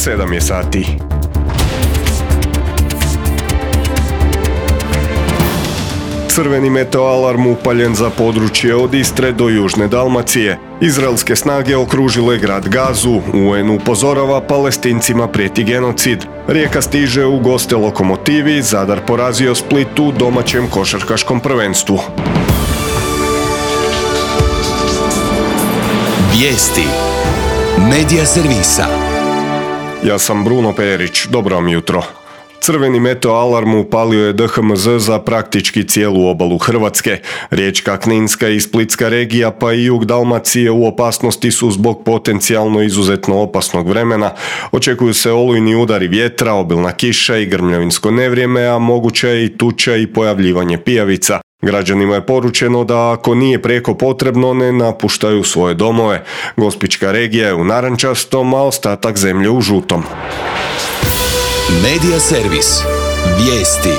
7 je sati. Crveni meteoalarm upaljen za područje od Istre do Južne Dalmacije. Izraelske snage okružile grad Gazu. UN upozorava, Palestincima prijeti genocid. Rijeka stiže u goste Lokomotivi, Zadar porazio Split u domaćem košarkaškom prvenstvu. Vijesti Medija servisa. Ja sam Bruno Perić, dobro vam jutro. Crveni meteoalarm upalio je DHMZ za praktički cijelu obalu Hrvatske. Riječka, Kninska i Splitska regija pa i jug Dalmacije u opasnosti su zbog potencijalno izuzetno opasnog vremena. Očekuju se olujni udari vjetra, obilna kiša i grmljavinsko nevrijeme, a moguća je i tuča i pojavljivanje pijavica. Građanima je poručeno da ako nije prijeko potrebno ne napuštaju svoje domove. Gospićka regija je u narančastom, a ostatak zemlje u žutom. Medija servis. Vijesti.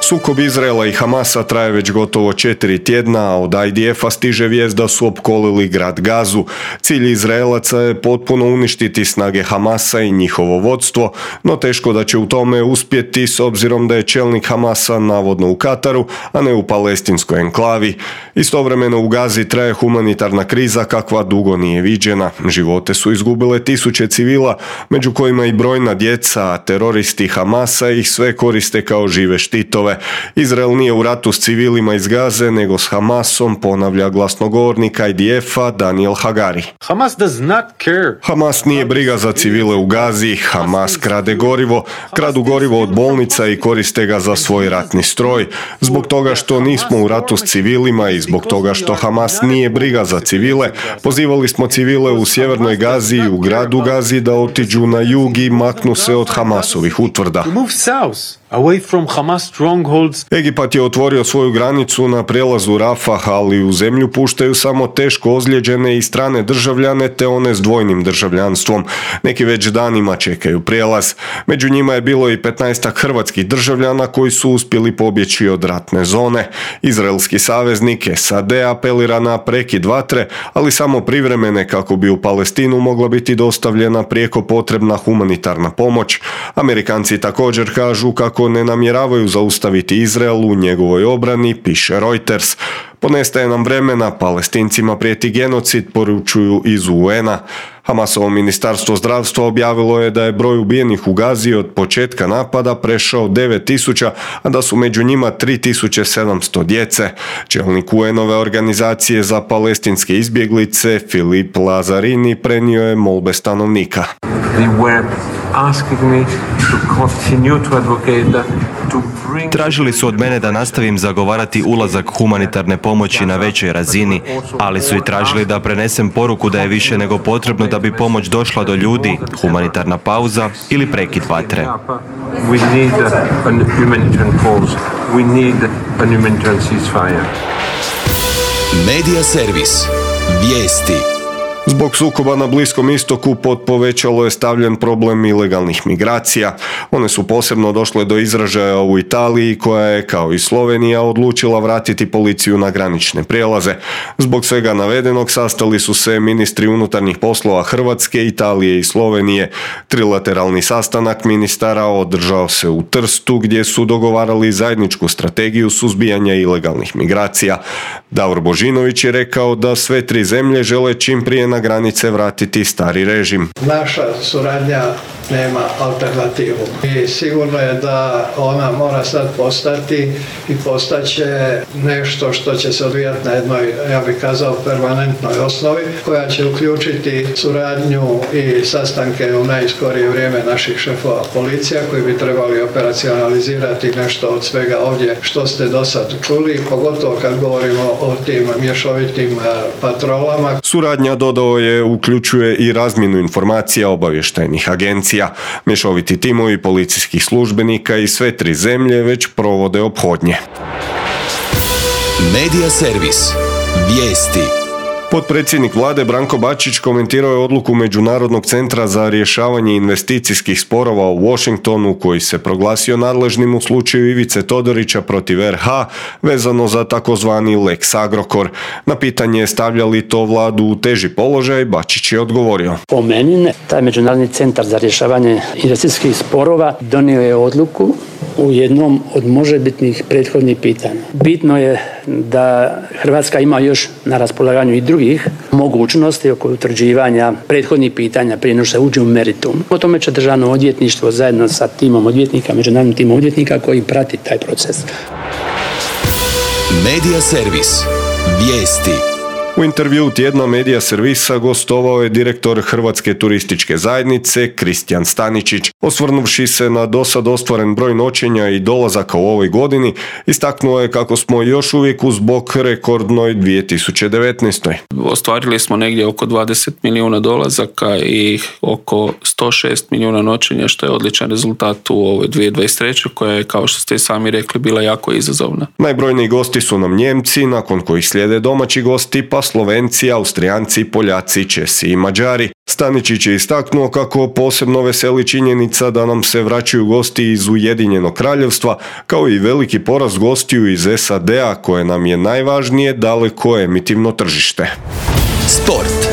Sukob Izraela i Hamasa traje već gotovo 4 tjedna, a od IDF-a stiže vijest da su opkolili grad Gazu. Cilj Izraelaca je potpuno uništiti snage Hamasa i njihovo vodstvo, no teško da će u tome uspjeti s obzirom da je čelnik Hamasa navodno u Kataru, a ne u palestinskoj enklavi. Istovremeno u Gazi traje humanitarna kriza kakva dugo nije viđena. Živote su izgubile tisuće civila, među kojima i brojna djeca, a teroristi Hamasa ih sve koriste kao žive štitove. Izrael nije u ratu s civilima iz Gaze, nego s Hamasom, ponavlja glasnogovornik IDF-a Daniel Hagari. Hamas nije briga za civile u Gazi, Hamas krade gorivo, kradu gorivo od bolnica i koriste ga za svoj ratni stroj. Zbog toga što nismo u ratu s civilima i zbog toga što Hamas nije briga za civile, pozivali smo civile u sjevernoj Gazi i u gradu Gazi da otiđu na jug i maknu se od Hamasovih utvrda. Egipat je otvorio svoju granicu na prijelazu Rafah, ali u zemlju puštaju samo teško ozlijeđene i strane državljane te one s dvojnim državljanstvom. Neki već danima čekaju prijelaz. Među njima je bilo i 15 hrvatskih državljana koji su uspjeli pobjeći od ratne zone. Izraelski saveznik SAD apelira na prekid vatre, ali samo privremene kako bi u Palestinu mogla biti dostavljena prijeko potrebna humanitarna pomoć. Amerikanci također kažu kako ne namjeravaju zaustaviti Izrael u njegovoj obrani, piše Reuters. Ponestaje nam vremena, Palestincima prijeti genocid, poručuju iz UN-a. Hamasovo ministarstvo zdravstva objavilo je da je broj ubijenih u Gazi od početka napada prešao 9.000, a da su među njima 3.700 djece. Čelnik UN-ove organizacije za palestinske izbjeglice Filip Lazarini prenio je molbe stanovnika. Tražili su od mene da nastavim zagovarati ulazak humanitarne pomoći na većoj razini, ali su i tražili da prenesem poruku da je više nego potrebno da bi pomoć došla do ljudi, humanitarna pauza ili prekid vatre. Medija servis. Vijesti. Zbog sukoba na Bliskom istoku pod povećalo je stavljen problem ilegalnih migracija. One su posebno došle do izražaja u Italiji, koja je, kao i Slovenija, odlučila vratiti policiju na granične prijelaze. Zbog svega navedenog sastali su se ministri unutarnjih poslova Hrvatske, Italije i Slovenije. Trilateralni sastanak ministara održao se u Trstu, gdje su dogovarali zajedničku strategiju suzbijanja ilegalnih migracija. Davor Božinović je rekao da sve tri zemlje žele čim prije na granice vratiti stari režim. Naša suradnja nema alternativu i sigurno je da ona mora sad postati i postaće nešto što će se odvijati na jednoj, ja bih kazao, permanentnoj osnovi, koja će uključiti suradnju i sastanke u najskorije vrijeme naših šefova policija koji bi trebali operacionalizirati nešto od svega ovdje što ste do sad čuli, pogotovo kad govorimo o tim mješovitim patrolama. Suradnja, dodao je, uključuje i razmjenu informacija obavještajnih agencija. Mješoviti timovi policijskih službenika i sve tri zemlje već provode ophodnje. Medija servis. Vijesti. Potpredsjednik vlade Branko Bačić komentirao je odluku Međunarodnog centra za rješavanje investicijskih sporova u Washingtonu koji se proglasio nadležnim u slučaju Ivice Todorića protiv RH vezano za takozvani Lex Agrokor. Na pitanje stavlja li to vladu u teži položaj, Bačić je odgovorio. Po meni ne. Taj Međunarodni centar za rješavanje investicijskih sporova donio je odluku u jednom od možebitnih prethodnih pitanja. Bitno je da Hrvatska ima još na raspolaganju i drugih mogućnosti oko utvrđivanja prethodnih pitanja prije nego što se uđe u meritum. O tome će Državno odvjetništvo zajedno sa timom odvjetnika, međunarodnim timom odvjetnika koji prati taj proces. Medija servis. Vijesti. U intervjuu tjedna Medija servisa gostovao je direktor Hrvatske turističke zajednice Kristijan Staničić. Osvrnuvši se na dosad ostvaren broj noćenja i dolazaka u ovoj godini, istaknuo je kako smo još uvijek uz bok rekordnoj 2019. Ostvarili smo negdje oko 20 milijuna dolazaka i oko 106 milijuna noćenja, što je odličan rezultat u ovoj 2023. koja je, kao što ste i sami rekli, bila jako izazovna. Najbrojniji gosti su nam Njemci, nakon kojih slijede domaći gosti, pa Slovenci, Austrijanci, Poljaci, Česi i Mađari. Staničić je istaknuo kako posebno veseli činjenica da nam se vraćaju gosti iz Ujedinjenog Kraljevstva, kao i veliki porast gostiju iz SAD-a, koje nam je najvažnije daleko emitivno tržište. Sport.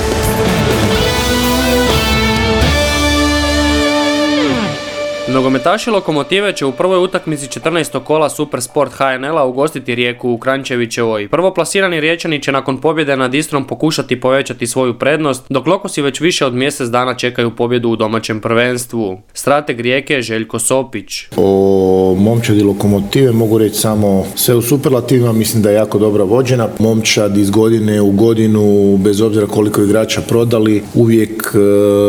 Nogometaši Lokomotive će u prvoj utakmici 14. kola Supersport HNL-a ugostiti Rijeku u Kranjčevićevoj. Prvoplasirani Riječani će nakon pobjede nad Istrom pokušati povećati svoju prednost, dok Lokosi već više od mjesec dana čekaju pobjedu u domaćem prvenstvu. Strateg Rijeke je Željko Sopić. O momčadi Lokomotive mogu reći samo sve u superlativima, mislim da je jako dobra vođena. Momčad iz godine u godinu, bez obzira koliko igrača prodali, uvijek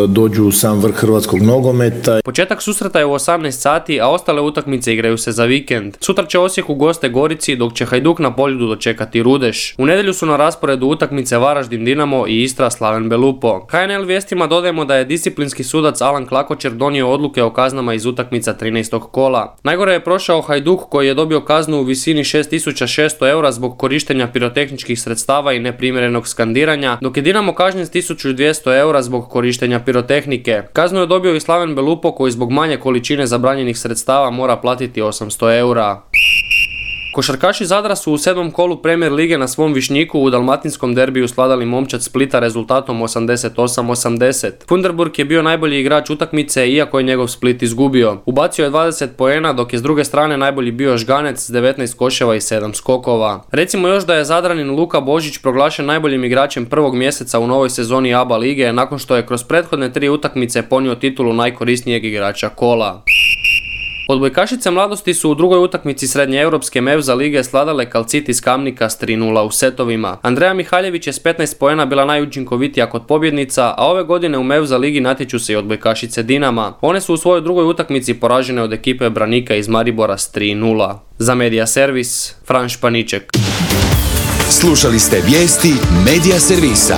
dođu u sam vrh hrvatskog nogometa. Početak susreta je u 18 sati, a ostale utakmice igraju se za vikend. Sutra će Osijek u goste Gorici, dok će Hajduk na Poljudu dočekati Rudeš. U nedjelju su na rasporedu utakmice Varaždin Dinamo i Istra Slaven Belupo. HNL vijestima dodajemo da je disciplinski sudac Alan Klakočer donio odluke o kaznama iz utakmica 13. kola. Najgore je prošao Hajduk koji je dobio kaznu u visini 6600 eura zbog korištenja pirotehničkih sredstava i neprimjerenog skandiranja, dok je Dinamo kažnjen s 1200 eura zbog korištenja pirotehnike. Kaznu je dobio i Slaven Belupo koji zbog manje količine zabranjenih sredstava mora platiti 800 eura. Košarkaši Zadra su u 7. kolu Premier lige na svom Višnjiku u dalmatinskom derbiju svladali Momčad Splita rezultatom 88-80. Funderburg je bio najbolji igrač utakmice iako je njegov Split izgubio. Ubacio je 20 poena, dok je s druge strane najbolji bio Žganec s 19 koševa i 7 skokova. Recimo još da je Zadranin Luka Božić proglašen najboljim igračem prvog mjeseca u novoj sezoni ABA lige nakon što je kroz prethodne 3 utakmice ponio titulu najkorisnijeg igrača kola. Odbojkašice mladosti su u drugoj utakmici srednjeeuropske Mevza lige svladale Kalcit iz Kamnika s 3:0 u setovima. Andreja Mihaljević je s 15 poena bila najučinkovitija kod pobjednica, a ove godine u Mevza ligi natječu se i odbojkašice Dinama. One su u svojoj drugoj utakmici poražene od ekipe Branika iz Maribora s 3:0. Za Medija servis, Fran Španiček. Slušali ste vijesti Medija servisa.